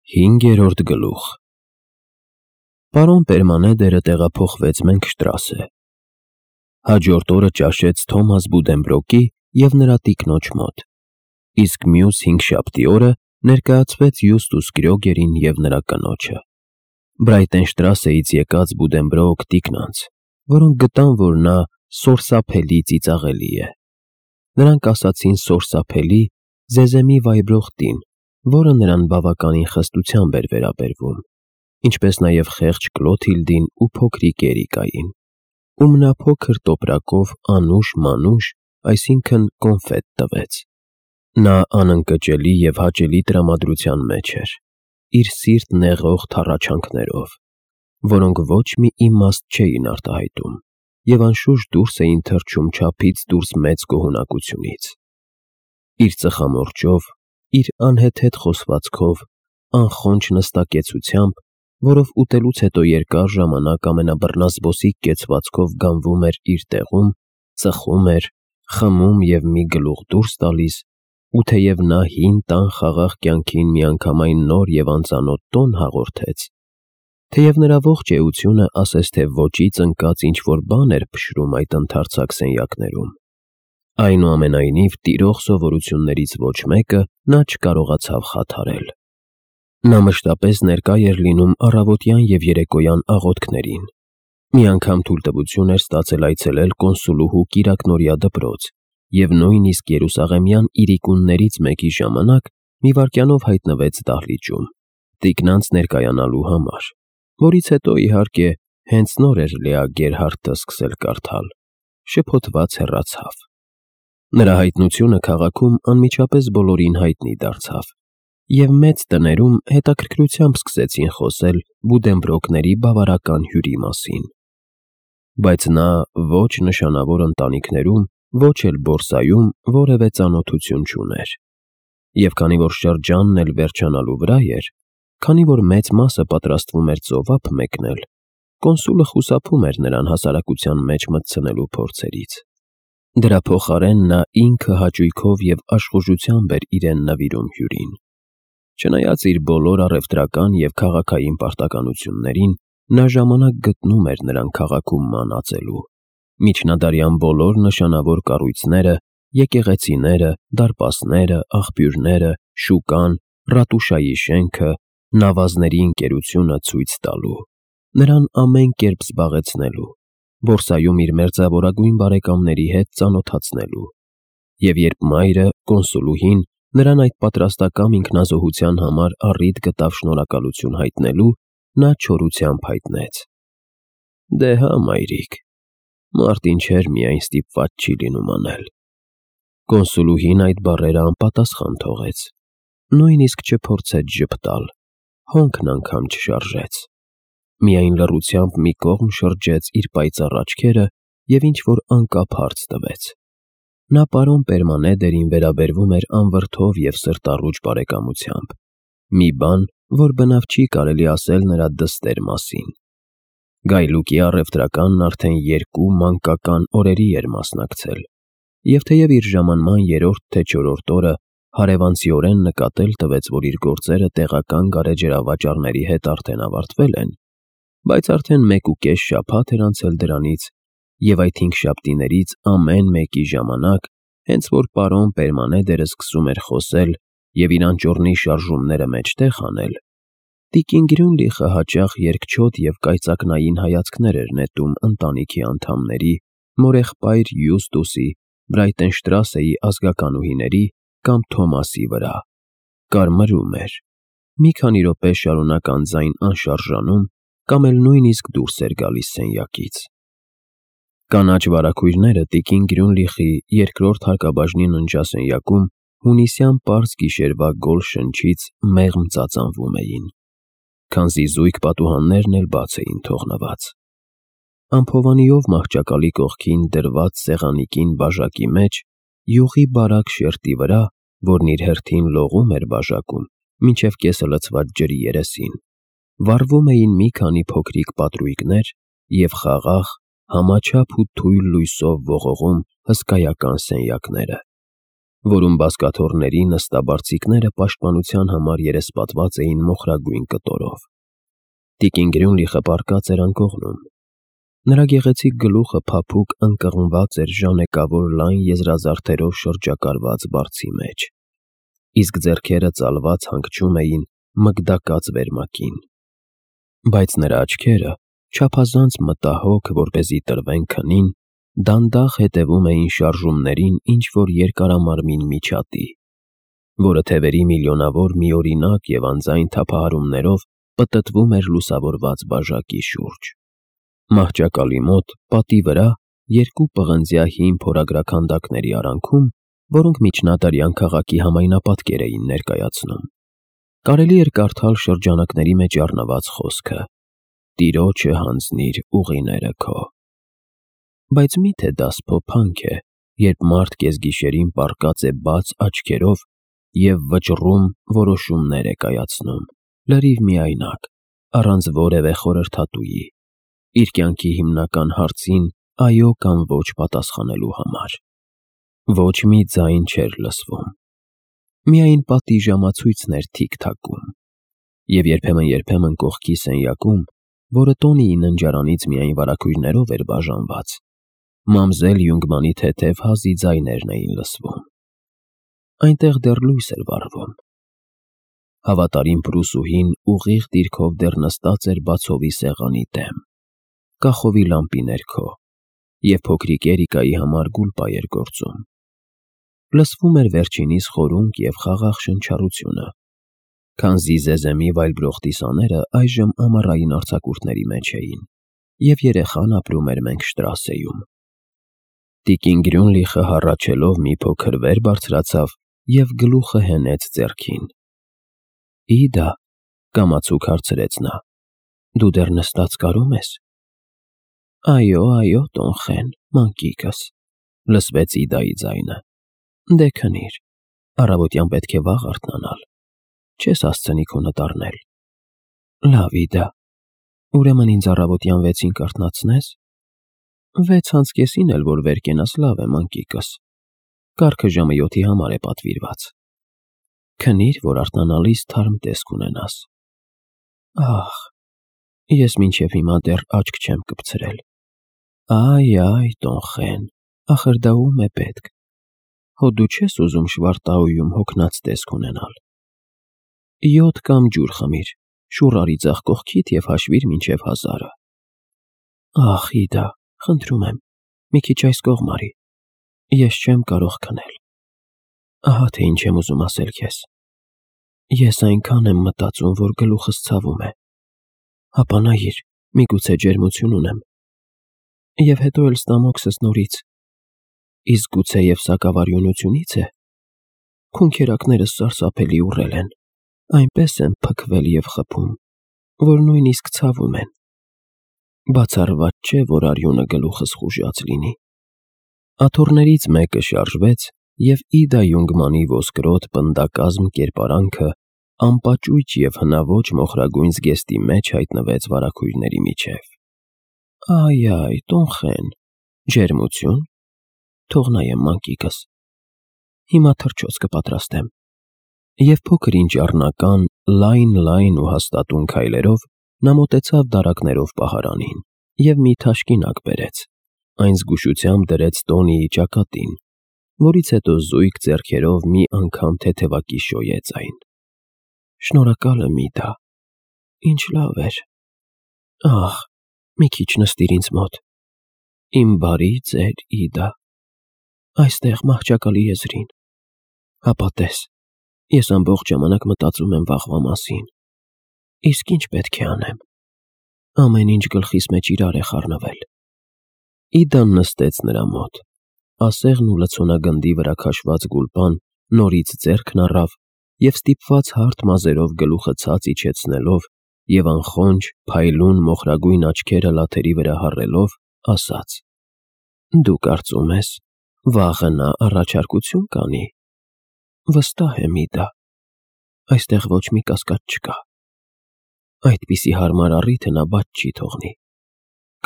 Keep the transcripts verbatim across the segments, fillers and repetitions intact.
Հինգերորդ գլուխ Պարոն Պերմանեդերը տեղափոխվեց Մենքշտրասե։ Հաջորդ օրը ճաշեց Թոմաս Բուդենբրոկի և նրա տիկնոջ մոտ, իսկ մյուս հինգշաբթի օրը ներկայացվեց Յուստուս Կրյոգերին և նրա կնոջը։ Բրայտենշտրասեից եկած Բուդենբրոկ տիկնանց, որոնք գտան, որ նա սորսափելի ծիծաղելի է։ Նրանք ասացին սորսափելի, զեզեմի վայրող տին, որը նրան բավականին խստությամբ էր վերաբերվում, ինչպես նաև խեղճ Կլոթիլդին ու փոքրիկ Էրիկային, ում նա փոքր տոպրակով անուշ-մանուշ, այսինքն կոնֆետ տվեց։ Նա անընկճելի և հաճելի տրամադրության մեջ էր, իր սիրտ նեղող թառաչանքներով, որոնք ոչ մի իմաստ չէին արտահայտում և անշուշտ դուրս էին թռչում չափից դուրս մեծ գոհունակությունից։ Իր ծխամորճով, իր անհեթեթ խոսվածքով, անխոնջ նստակեցությամբ, որով ուտելուց հետո երկար ժամանակ ամենաբռնազբոսիկ կեցվածքով գանվում էր իր տեղում, ծխում էր, խմում և մի գլուխ դուրս տալիս, ու թեև նա հին տան խաղաղ կյանքին միանգամայն նոր և անծանոթ տոն հաղորդեց, թեև նրա ողջ էությունը ասես թե ոճից ընկած ինչ-որ բան էր փշրում այդ ընդարձակ սենյակներում, այնուամենայնիվ տիրող սովորություններից ոչ մեկը նա չկարողացավ խաթարել։ Նա մշտապես ներկա էր լինում առավոտյան և երեկոյան աղոթքներին, մի անգամ թույլտվություն էր ստացել այցելել կոնսուլուհու կիրակնօրյա դպրոց և նույնիսկ երուսաղեմյան իրիկուններից մեկի ժամանակ մի վայրկյանով հայտնվեց դահլիճում, տիկնանց ներկայանալու համար, որից հետո, իհարկե, հենց նոր էր Լեա Գերհարդը սկսել կարդալ, շփոթված հեռացավ։ Նրա հայտնությունը քաղաքում անմիջապես բոլորին հայտնի դարձավ, և մեծ տներում հետաքրքրությամբ սկսեցին խոսել Բուդենբրոկների բավարարական հյուրի մասին։ Բայց նա ոչ նշանավոր ընտանիքներում, ոչ էլ բորսայում որևէ ծանոթություն չուներ, և քանի որ շրջանն էլ վերջանալու վրա էր, քանի որ մեծ մասը պատրաստվում էր ծովափ մեկնել, կոնսուլը խուսափում էր նրան հասարակության մեջ մտցնելու փորձերից։ Դրա փոխարեն նա ինքը հաճույքով և աշխուժությամբ էր իրեն նվիրում հյուրին։ Չնայած իր բոլոր առևտրական և քաղաքային պարտականություններին, նա ժամանակ գտնում էր նրան քաղաքում մանածելու։ Միջնադարյան բոլոր նշանավոր կառույցները, եկեղեցիները, դարպասները, աղբյուրները, շուկան, ռատուշայի շենքը, նավազների ընկերությունը ցույց տալու, նրան ամեն կերպ զբաղեցնելու, բորսայում իր մերձավորագույն բարեկամների հետ ծանոթացնելու։ Եվ երբ մայրը, կոնսուլուհին, նրան այդ պատրաստակամ ինքնազոհության համար առիթ գտավ շնորհակալություն հայտնելու, նա չորությամբ հայտնեց. «Դե հա, մայրիկ, մարդ ինչեր միայն ստիպված չի լինում անել»։ Կոնսուլուհին այդ բառերը անպատասխան թողեց, նույնիսկ չփորձեց ժպտալ, հոնքն անգամ չշարժեց, միայն լռությամբ մի կողմ շրջեց իր պայծառ աչքերը և ինչ-որ անկապ հարց տվեց։ Նա պարոն Պերմանեդերին վերաբերվում էր անվրդով և սրտառուչ բարեկամությամբ, մի բան, որ բնավ չի կարելի ասել նրա դստեր մասին։ Գայլուկի առևտրականն արդեն երկու մանկական օրերի էր մասնակցել, և թեև իր ժամանման երրորդ թե չորրորդ օրը հարևանցիորեն նկատել տվեց, որ իր գործերը տեղական գարեջրավաճառների հետ արդեն ավարտվել են, բայց արդեն մեկուկես շաբաթ էր անցել դրանից, և այդ հինգշաբթիներից ամեն մեկի ժամանակ, հենց որ պարոն Պերմանեդերը սկսում էր խոսել և իր անճոռնի շարժումները մեջտեղ անել, տիկին Գրյունլիխը հաճախ երկչոտ և կայծակնային հայացքներ էր նետում ընտանիքի անդամների, մորեղբայր Յուստուսի, Բրայտենշտրասեի ազգականուհիների կամ Թոմասի վրա, կարմրում էր, մի քանի րոպե շարունակ անձայն անշարժանում կամ էլ նույնիսկ դուրս էր գալիս սենյակից։ Կանաչ վարագույրները տիկին Գրյունլիխի երկրորդ հարկաբաժնի ննջասենյակում հունիսյան պարզ գիշերվա գոլ շնչից մեղմ ծածանվում էին, քանզի զույգ պատուհաններն էլ բաց էին թողնված։ Անփովանիով մահճակալի կողքին դրված սեղանի կին բաժակի մեջ, յուղի բարակ շերտի վրա, որն իր հերթին լողում էր բաժակում մինչև կեսը լցված ջրի երեսին, վառվում էին մի քանի փոքրիկ պատրույգներ և խաղաղ, համաչափ ու թույլ լույսով ողողում հսկայական սենյակները։ որում բազկաթոռների նստաբարձիկները պաշտպանության համար երեսպատված էին մոխրագույն կտորով։ Տիկին Գրյունլիխը պառկած էր անկողնում։ Նրա գեղեցիկ գլուխը փափուկ ընկղմված էր ժանեկավոր լայն եզրազարդերով շրջակարված բարձի մեջ, իսկ ձեռքերը ծալված հանգչում էին մգդակած վերմակին։ Բայց նրա աչքերը, չափազանց մտահոգ, որպեսզի տրվեն քնին, դանդաղ հետևում էին շարժումներին ինչ-որ երկարամարմին միջատի, որը թևերի միլիոնավոր միօրինակ և անձայն թափահարումներով պտտվում էր լուսավորված բաժակի շուրջ։ Մահճակալի մոտ, պատի վրա, երկու պղնձյա հին փորագրաքանդակների արանքում, որոնք միջնադարյան քաղաքի համայնապատկեր էին ներկայացնում, կարելի էր կարդալ շրջանակների մեջ առնված խոսքը. «Տիրոջը հանձնիր ուղիները քո»։ Բայց մի՞թե դա սփոփանք է, երբ մարդ կեսգիշերին պառկած է բաց աչքերով և վճռում որոշումներ է կայացնում, լրիվ միայնակ, առանց որևէ խորհրդատուի, իր կյանքի հիմնական հարցին այո կամ ոչ պատասխանելու համար։ Ոչ մի ձայն չէր լսվում։ Միայն պատի ժամացույցն էր թիք-թակում, և երբեմն-երբեմն կողքի սենյակում, որը Տոնիի ննջարանից միայն վարագույրներով էր բաժանված, մամզել Յունգմանի թեթև հազի ձայներն էին լսվում։ Այնտեղ դեռ լույս էր վառվում։ Հավատարիմ պրուսուհին ուղիղ դիրքով դեռ նստած էր բացովի սեղանի դեմ, կախովի լամպի ներքո, և փոքրիկ Էրիկայի համար գուլպա էր գործում։ Լսվում էր վերջինիս խորունկ և խաղաղ շնչառությունը, քանզի զեզեմի վայլբրող տիսաները այժմ ամառային արձակուրդների մեջ էին, և երեխան ապրում էր Մենքշտրասեում։ Տիկին Գրյունլիխը հառաչելով մի փոքր վեր բարձրացավ և գլուխը հենեց ձեռքին։ «Իդա», կամացուկ հարցրեց նա, «դու դեռ նստած կարո՞մ ես»։ «Այո, այո, տոն Խեն, մանկիկս», լսվեց Իդայի ձայնը։ «Դե քնիր, առավոտյան պետք է վաղ արթնանալ, չես հասցնի քո նտառնել»։ «Լավ, Իդա, ուրեմն ինձ առավոտյան վեցին կարթնացնե՞ս»։ «Վեց անց կեսին էլ որ վեր կենաս, լավ է, մանկիկս, կառքը ժամը յոթի համար է պատվիրված։ Քնիր, որ արթնանալիս թարմ տեսք ունենաս»։ «Ախ, ես մինչև հիմա դեռ աչք չեմ կպցրել»։ «Այ, այ, տոն Խեն, ախր դա ո՞ւմ է պետք։ Հո դու չես ուզում Շվարտաուում հոգնած տեսք ունենալ։ Յոթ կամ ջուր խմիր, շուռ արի ձախ կողքիդ և հաշվիր մինչև հազարը»։ «Ախ, Իդա, խնդրում եմ, մի քիչ այս կողմ արի, ես չեմ կարող քնել։ Ահա թե ինչ եմ ուզում ասել քեզ. ես այնքան եմ մտածում, որ գլուխս ցավում է։ Հապա նայիր, միգուցե ջերմություն ունեմ։ Եվ հետո էլ ստամոքսս նորից։ Իսկ գուցեև սակավարյունությունի՞ց է։ Քունքերակներս սարսափելի ուռել են, այնպես են փքվել և խփում, որ նույնիսկ ցավում են։ Բացառված չէ, որ արյունը գլուխս խուժած լինի»։ Աթոռներից մեկը շարժվեց, և Իդա Յունգմանի ոսկրոտ պնդակազմ կերպարանքը անպաճույճ և հնաոճ մոխրագույն զգեստի մեջ հայտնվեց վարագույրների միջև։ «Այ, այ, տոն Խեն, ջերմությո՞ւն։ Թող նայեմ, մանկիկս։ Հիմա թռչոց կպատրաստեմ»։ Եվ փոքր-ինչ առնական, լայն-լայն ու հաստատուն քայլերով նա մոտեցավ դարակներով պահարանին և մի թաշկինակ բերեց, այն զգուշությամբ դրեց Տոնիի ճակատին, որից հետո զույգ ձեռքերով մի անգամ թեթևակի շոյեց այն։ «Շնորհակալ եմ, Իդա, ինչ լավ էր։ Ախ, մի քիչ նստիր ինձ մոտ, իմ բարի ծեր Իդա, այստեղ մահճակալի եզրին։ Հապա տես, ես ամբողջ ժամանակ մտածում եմ վաղվա մասին։ Իսկ ինչ պետք է անեմ։ Ամեն ինչ գլխիս մեջ իրար է խառնվել»։ Իդան նստեց նրա մոտ, ասեղն ու լցոնագնդի վրա քաշված գուլպան նորից ձեռքն առավ և ստիպված հարթ մազերով գլուխը ցած իջեցնելով և անխոնջ, փայլուն մոխրագույն աչքերը լաթերի վրա հառելով, ասաց. «Դու կարծում ես, վաղը նա առաջարկություն կանի»։ «Վստահ եմ, Իդա, այստեղ ոչ մի կասկած չկա։ Այդպիսի հարմար առիթը նա բաց չի թողնի։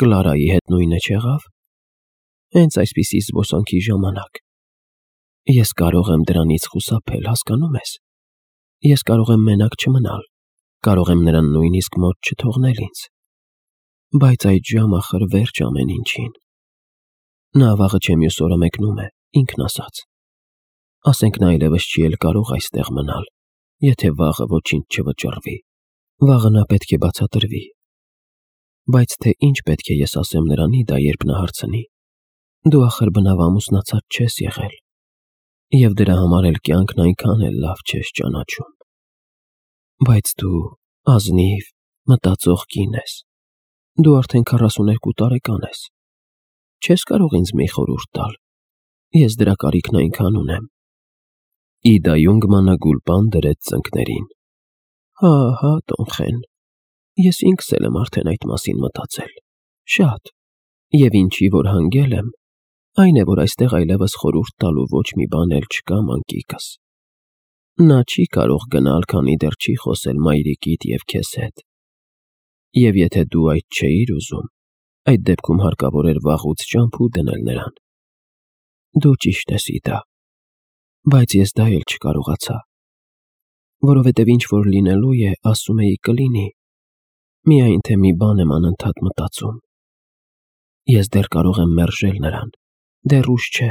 Կլարայի հետ նույնը չեղա՞վ։ Հենց այսպիսի զբոսանքի ժամանակ։ Ես կարող եմ դրանից խուսափել, հասկանում ես։ Ես կարող եմ մենակ չմնալ, կարող եմ նրան նույնիսկ մոտ չթողնել ինձ։ Բայց այդ ժամը ախր վերջ ամեն ինչին։ Նա վաղը չէ մյուս օրը մեկնում է, ինքն ասաց։ Ասենք նա այլևս չի էլ կարող այստեղ մնալ, եթե վաղը ոչինչ չվճռվի։ Վաղը նա պետք է բացատրվի։ Բայց թե ինչ պետք է ես ասեմ նրան Իդա, երբ նա հարցնի։ Դու ախր բնավ ամուսնացած չես եղել, և դրա համար էլ կյանքն այնքան էլ լավ չես ճանաչում։ Բայց դու ազնիվ, մտածող կին ես։ Դու արդեն քառասուներկու տարեկան ես։ Չես կարող ինձ մի խորհուրդ տալ։ Ես դրա կարիքն այնքան ունեմ։ Իդա Յունգմանը գուլպան դրեց ծնկներին։ Հա, հա, Տոնխեն, ես ինքս էլ եմ արդեն այդ մասին մտածել։ Շատ։ Եվ ինչի որ հանգել եմ, այն է, որ այստեղ այլևս խորհուրդ տալու ոչ մի բան էլ չկա մանկիկս։ Նա չի կարող գնալ, քանի դեռ չի խոսել մայրիկիդ և քեզ հետ։ Եվ եթե դու այդ չէիր ուզում, այդ դեպքում հարկավոր էր վաղուց ճամփու դնել նրան։ Դու ճիշտ ես, Իդա, բայց ես դա էլ չկարողացա, որովհետև ինչ որ լինելու է, ասում էի կլինի, միայն թե մի բան եմ անընդհատ մտածում։ Ես դեռ կարող եմ մերժել նրան, դեռ ուշ չէ։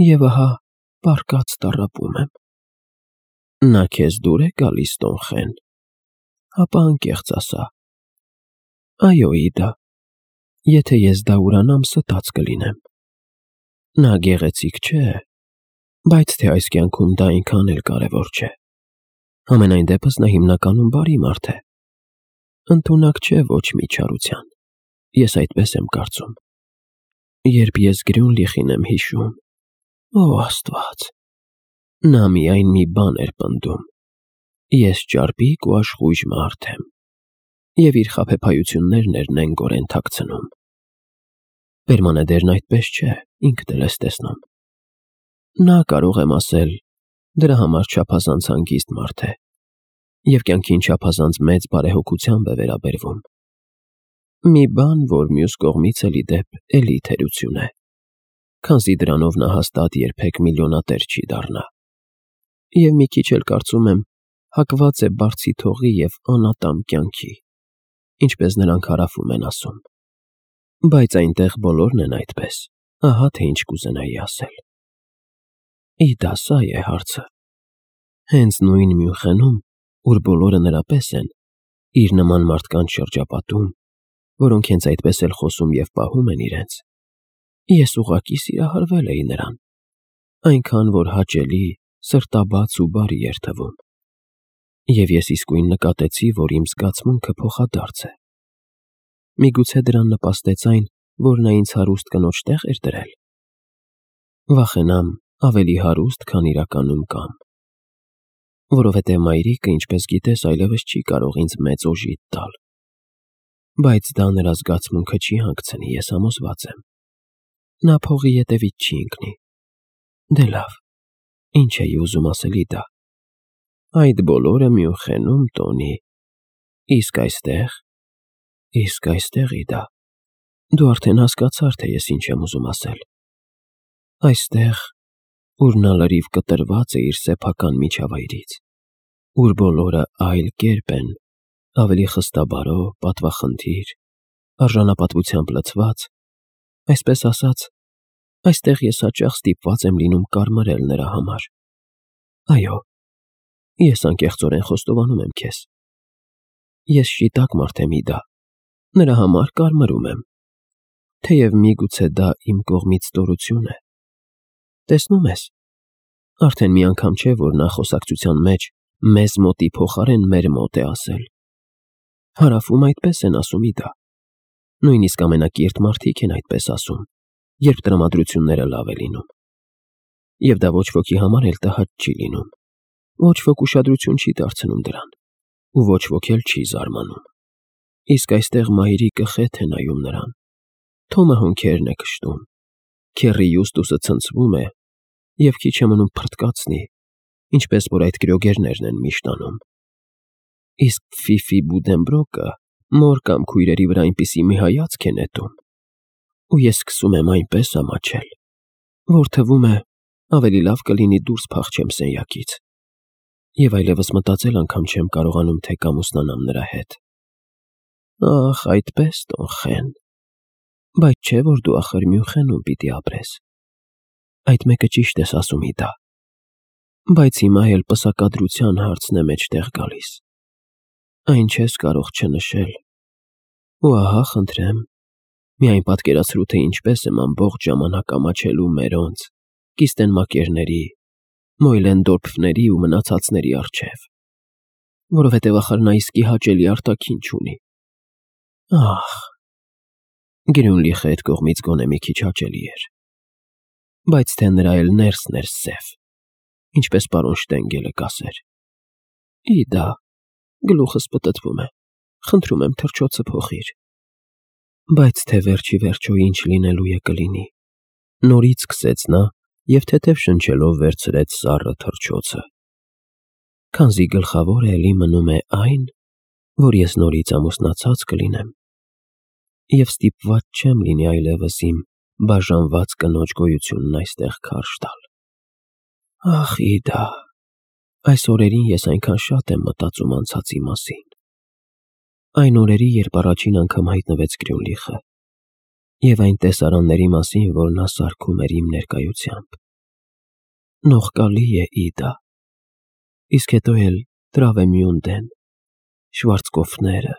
Եվ ահա, պառկած տառապում եմ։ Նա քեզ դուր է գալիս, Տոնխեն։ Հապա անկեղծ ասա։ Այո, Իդա, եթե ես դա ուրանամ, ստած կլինեմ։ Նա գեղեցիկ չէ, բայց թե այս կյանքում դա այնքան էլ կարևոր չէ։ Համենայն դեպս նա հիմնականում բարի մարդ է։ Ընդունակ չէ ոչ մի չարության։ Ես այդպես եմ կարծում։ Երբ ես Գրյունլիխին եմ հիշում, օ Աստված, նա միայն մի բան էր պնդում. ես ճարպիկ ու աշխույժ մարդ եմ, և իր խաբեբայություններն էր նենգորեն թաքցնում։ Պերմանեդերն այդպես չէ, ինքդ էլ ես տեսնում։ Նա, կարող եմ ասել, դրա համար չափազանց հանգիստ մարդ է, և կյանքին չափազանց մեծ բարեհոգությամբ է վերաբերվում։ Մի բան, որ մյուս կողմից էլի դեպ էլի թերություն է, քանզի դրանով նա հաստատ երբեք միլիոնատեր չի դառնա։ Եվ մի քիչ էլ կարծում եմ, հակված է բարձի թողի և անատամ կյանքի, ինչպես նրանք հարավում են ասում։ Բայց այնտեղ բոլորն են այդպես, ահա թե ինչ կուզենայի ասել։ Իդա, սա է հարցը։ Հենց նույն Մյունխենում, ուր բոլորը նրա պես են, իր նման մարդկանց շրջապատում, որոնք հենց այդպես էլ խոսում և պահում են իրենց, ես ուղղակի սիրահարվել էի նրան, այնքան, որ հաճելի, սրտաբաց ու բարի էր թվում։ Եվ ես իսկույն նկատեցի, որ իմ զգացմունքը փոխադարձ է։ Միգուցե դրան նպաստեց այն, որ նա ինձ հարուստ կնոջ տեղ էր դրել։ Վախենամ, ավելի հարուստ, քան իրականում կամ։ Որովհետև մայրիկը, ինչպես գիտես, այլևս չի կարող ինձ մեծ օժիտ տալ։ Բայց դա նրա զգացմունքը չի հանգցնի, ես համոզված եմ։ Նա փողի ետևից չի ընկնի։ Դե լավ, ինչ էի ուզում ասել, Իդա։ Այդ բոլորը Մյունխենում, Տոնի։ Իսկ այստեղ, իսկ այստեղ, Իդա, դու արդեն հասկացար, թե ես ինչ եմ ուզում ասել։ Այստեղ, ուր նա լրիվ կտրված է իր սեփական միջավայրից, ուր բոլորը այլ կերպ են, ավելի խստաբարո, պատվախնդիր, արժանապատվությամբ լցված, այսպես ասած, այստեղ ես հաճախ ստիպված եմ լինում կարմրել նրա համար։ Այո, ես անկեղծորեն խոստովանում եմ քեզ։ Ես շիտակ մարդ եմ, Իդա, նրա համար կարմրում եմ, թեև միգուցե դա իմ կողմից ստորություն է։ Տեսնում ես, արդեն մի անգամ չէ, որ նա խոսակցության մեջ մեզ մոտի փոխարեն մեր մոտ է ասել։ Հարավում այդպես են ասում, Իդա։ Նույնիսկ ամենակիրթ մարդիկ են այդպես ասում, երբ տրամադրությունները լավ է լինում։ Եվ դա ոչ ոքի համար էլ տհաճ չի լինում, ոչ ոք ուշադրություն չի դարձնում դրան, ու ոչ ոք էլ չի զարմանում։ Իսկ այստեղ մայրիկը խեթ է նայում նրան, Թոմը հոնքերն է քշտում, Քեռի Յուստուսը ցնցվում է, և քիչ է մնում փռթկացնի, ինչպես որ այդ գրոգերներն են միշտ անում։ Իսկ Ֆիֆի Բուդենբրոկը մոր կամ քույրերի վրա այնպիսի մի հայացք է նետում, ու ես սկսում եմ այնպես ամաչել, որ թվում է, Ավելի լավ կլինի դուրս փախչեմ սենյակից։ Եվ այլևս մտածել անգամ չեմ կարողանում, թե կամուսնանամ նրա հետ։ Ախ, այդպես տոնխեն։ Բայց չէ, որ դու ախր Մյունխենում պիտի ապրես։ Այդ մեկը ճիշտ ես ասում, Իդա։ Բայց հիմա էլ պսակադրության հարցն է մեջտեղ գալիս։ Այն չես կարող չնշել։ Ու ահա, խնդրեմ, միայն պատկերացրու, թե ինչպես եմ ամբողջ ժամանակ ամաչելու մերոնց, կիստենմակերների, մոյլենդորփների ու մնացածների առջև, որովհետև ախր նա իսկի հաճելի արտաքին չունի։ Ախ, Գրյունլիխը այդ կողմից գոնե մի քիչ հաճելի էր, բայց թե նրա էլ ներսն էր սև, ինչպես պարոն Շտենգելը կասեր։ Իդա, գլուխս պտտվում է, խնդրում եմ թռչոցը փոխիր։ Բայց թե վերջի վերջո ինչ լինելու է կլինի։ Նորից սկսեց նա և թեթև շնչելով վերցրեց սառը թռչոցը։ Քանզի գլխավորը էլի մնում է այն, որ ես նորից ամուսնացած կլինեմ, և ստիպված չեմ լինի այլևս իմ բաժանված կնոջ գոյությունն այստեղ քարշ տալ։ Ախ, Իդա, այս օրերին ես այնքան շատ եմ մտածում անցածի մասին։ Այն օրերի, երբ առաջին անգամ հայտնվեց Գրյունլիխը, և այն տեսարանների մասին, որ նա սարքում էր իմ ներկայությամբ։ Նողկալի է, Իդա։ Իսկ հետո էլ Տրավեմյունդեն, Շվարցկոֆները,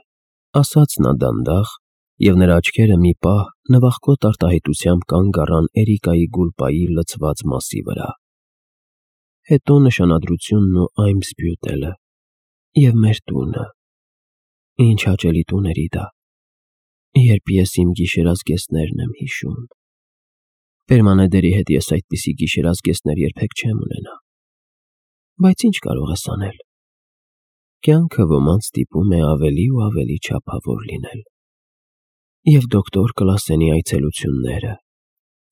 ասաց նա դանդաղ, և նրա աչքերը մի պահ նվախկոտ արտահայտությամբ կանգ առան Էրիկայի գուլպայի լցված մասի վրա։ Հետո նշանադրությունն ու Այմսբյուտելը, և մեր տունը։ Ինչ հաճելի տուն էր, Իդա, երբ ես իմ գիշերազգեստներն եմ հիշում։ Պերմանեդերի հետ ես այդպիսի գիշերազգեստներ երբեք չեմ ունենա։ Բայց ինչ կարող ես անել։ Կյանքը ոմանց ստիպում է ավելի ու ավելի չափավոր լինել։ Եվ դոկտոր Կլասենի այցելությունները,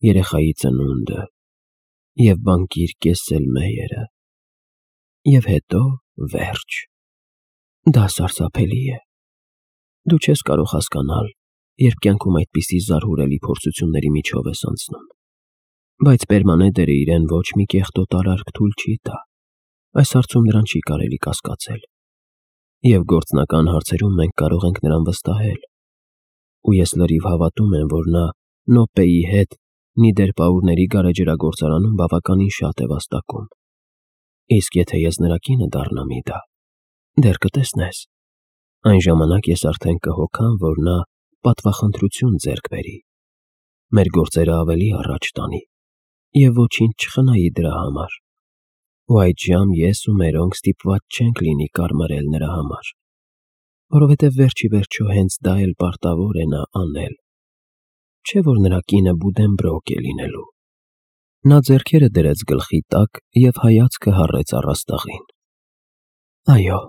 երեխայի ծնունդը, և բանկիր Կեսսելմեյերը, և հետո վերջ։ Դա սարսափելի է։ Դու չես կարող հասկանալ, երբ կյանքում այդպիսի զարհուրելի փորձությունների միջով ես անցնում։ Բայց Պերմանեդերը իրեն ոչ մի կեղտոտ արարք թույլ չի տա։ Այս հարցում նրան չի կարելի կասկածել։ Եվ գործնական հարցերում մենք կարող ենք նրան վստահել։ Ու ես լրիվ հավատում եմ, որ նա Նոպեի հետ Նիդերպաուրների գարեջրագործարանում բավականին շատ է վաստակում։ Իսկ եթե ես նրա կինը դառնամ, Իդա, դեռ կտեսնես, այն ժամանակ ես արդեն կհոգամ, որ նա պատվախնդրություն ձեռք բերի, մեր գործերը ավելի առաջ տանի և ոչինչ չխնայի դրա համար։ Ու այդժամ ես ու մերոնք ստիպված չենք լինի կարմարել նրա համար, որովհետև վերջ ի վերջո հենց դա էլ պարտավոր է նա անել։ Չէ՞ որ նրա կինը Բուդենբրոկ է լինելու։ Նա ձեռքերը դրեց գլխի տակ և հայացքը հառեց առաստաղին։ Այո,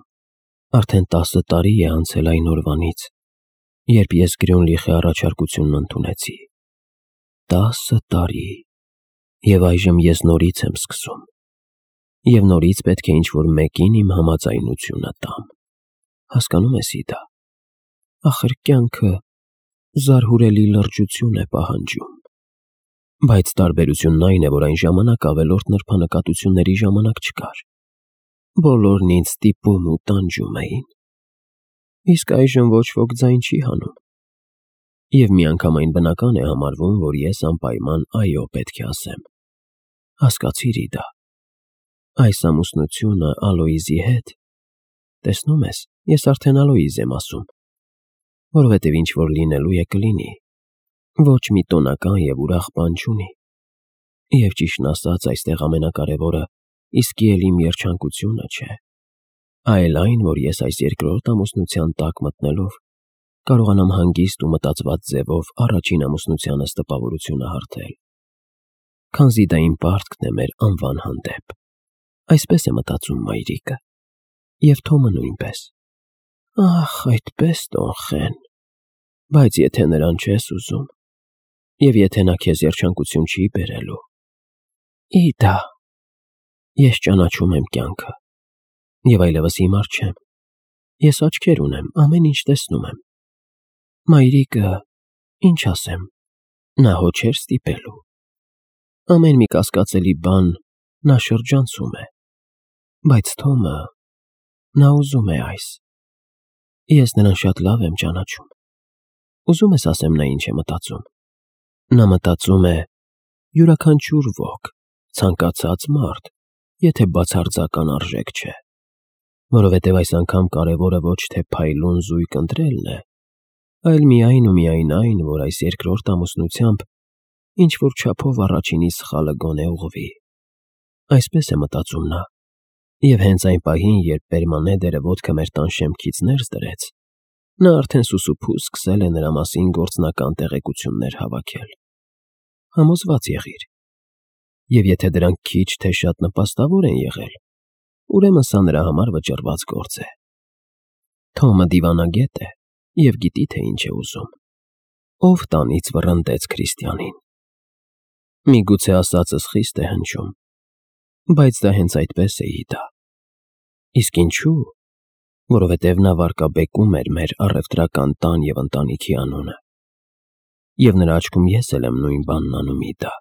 արդեն տասը տարի է անցել այն օրվանից, երբ ես Գրյունլիխի առաջարկությունն ընդունեցի։ Տասը տարի, և այժմ ես նորից եմ սկսում։ Եվ նորից պետք է ինչ-որ մեկին իմ համաձայնությունը տամ։ Հասկանո՞ւմ ես, Իդա, ախր կյանքը զարհուրելի լրջություն է պահանջում։ Բայց տարբերությունն այն է, որ այն ժամանակ ավելորդ նրբանկատությունների ժամանակ չկար։ Բոլորն ինձ ստիպում ու տանջում էին։ Իսկ այժմ ոչ ոք ձայն չի հանում։ Եվ միանգամայն բնական է համարվում, որ ես անպայման այո պետք է ասեմ։ Հասկացիր, Իդա, այս ամուսնությունը Ալոյզի հետ, տեսնում ես, ես արդեն Ալոյզ եմ ասում, որովհետև ինչ-որ լինելու է կլինի, ոչ մի տոնական և ուրախ բան չունի։ Եվ ճիշտն ասած, այստեղ ամենակարևորը իսկի էլ իմ երջանկությունը չէ, այլ այն, որ ես այս երկրորդ ամուսնության տակ մտնելով կարողանամ հանգիստ ու մտածված ձևով առաջին ամուսնությանս տպավորությունը հարթել։ Քանզի դա իմ պարտքն է մեր անվան հանդեպ։ Այսպես է մտածում մայրիկը։ Եվ Թոմը նույնպես։ Ախ, այդպես տոնխեն։ Բայց եթե նրան չես ուզում, և եթե նա քեզ երջանկություն չի բերելու։ Իդա, ես ճանաչում եմ կյանքը, և այլևս հիմար չեմ։ Ես աչքեր ունեմ, ամեն ինչ տեսնում եմ։ Մայրիկը, ինչ ասեմ, նա հո չէր ստիպելու։ Ամեն մի կասկածելի բան նա շրջանցում է, բայց Թոմը, նա ուզում է այս։ Ես նրան շատ լավ եմ ճանաչում։ Ուզում ես ասեմ նա ինչ է մտածում։ Նա մտածում է. յուրաքանչյուր ոք, ցանկացած մարդ, եթե բացարձական արժեք չէ, որովհետև այս անգամ կարևորը ոչ թե փայլուն զույգ ընտրելն է, այլ միայն ու միայն այն, որ այս երկրորդ ամուսնությամբ ինչ-որ չափով առաջինի սխալը գոնե ուղղվի։ Այսպես է մտածում նա, և հենց այն պահին, երբ Պերմանեդերը ոտքը մեր տան շեմքից ներս դրեց, նա արդեն սուսուփուս սկսել է նրա մասին գործնական տեղեկություններ հավաքել։ Համոզված եղիր, և եթե դրանք քիչ թե շատ նպաստավոր են եղել, ուրեմն սա նրա համար վճռված գործ է։ Թոմը դիվանագետ է և գիտի, թե ինչ է ուզում։ Ով տանից վռնդեց Քրիստիանին։ Միգուցե ասածս խիստ է հնչում, բայց դա հենց այդպես է, Իդա։ Իսկ ինչու՞։ Որովհետև նա վարկաբեկում էր մեր առևտրական տան և ընտանիքի անունը։ Եվ նրա աչքում ես էլ եմ նույն բանն անում, Իդա։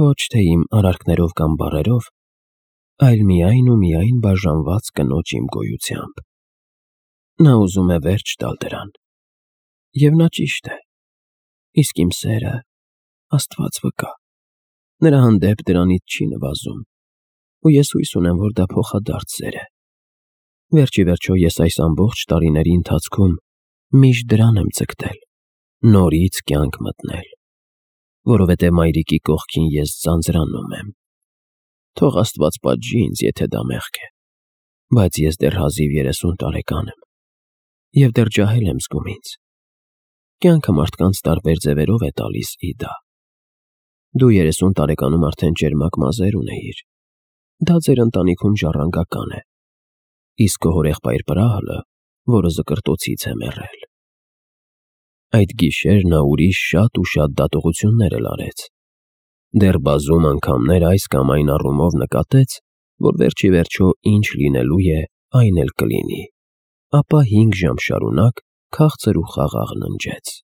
Ոչ թե իմ արարքներով կամ բառերով, այլ միայն ու միայն բաժանված կնոջ իմ գոյությամբ։ Նա ուզում է վերջ տալ դրան։ Եվ նա ճիշտ է։ Իսկ իմ սերը, Աստված վկա, նրա հանդեպ դրանից չի նվազում, ու ես հույս ունեմ, որ դա փոխադարձ սեր է։ Վերջ ի վերջո ես այս ամբողջ տարիների ընթացքում միշտ դրան եմ ձգտել, նորից կյանք մտնել, որովհետև մայրիկի կողքին ես ձանձրանում եմ։ Թող Աստված պատժի ինձ, եթե դա մեղք է, բայց ես դեռ հազիվ երեսուն տարեկան եմ, և դեռ ջահել եմ զգում ինձ։ Կյանքը մարդկանց տարբեր ձևերով է տալիս, Իդա։ Դու երեսուն տարեկանում արդեն ճերմակ մազեր ունեիր։ Դա ձեր ընտանիքում ժառանգական է, իսկ քո հորեղբայր Պրահլը, որը զկրտոցից է մեռել։ Այդ գիշեր նա ուրիշ շատ ու շատ դատողություններ էլ արեց։ Դեռ բազում անգամներ այս կամ այն առումով նկատեց, որ վերջ ի վերջո ինչ լինելու է, այն էլ կլինի, ապա հինգ ժամ շարունակ քաղցր ու խաղաղ ննջեց։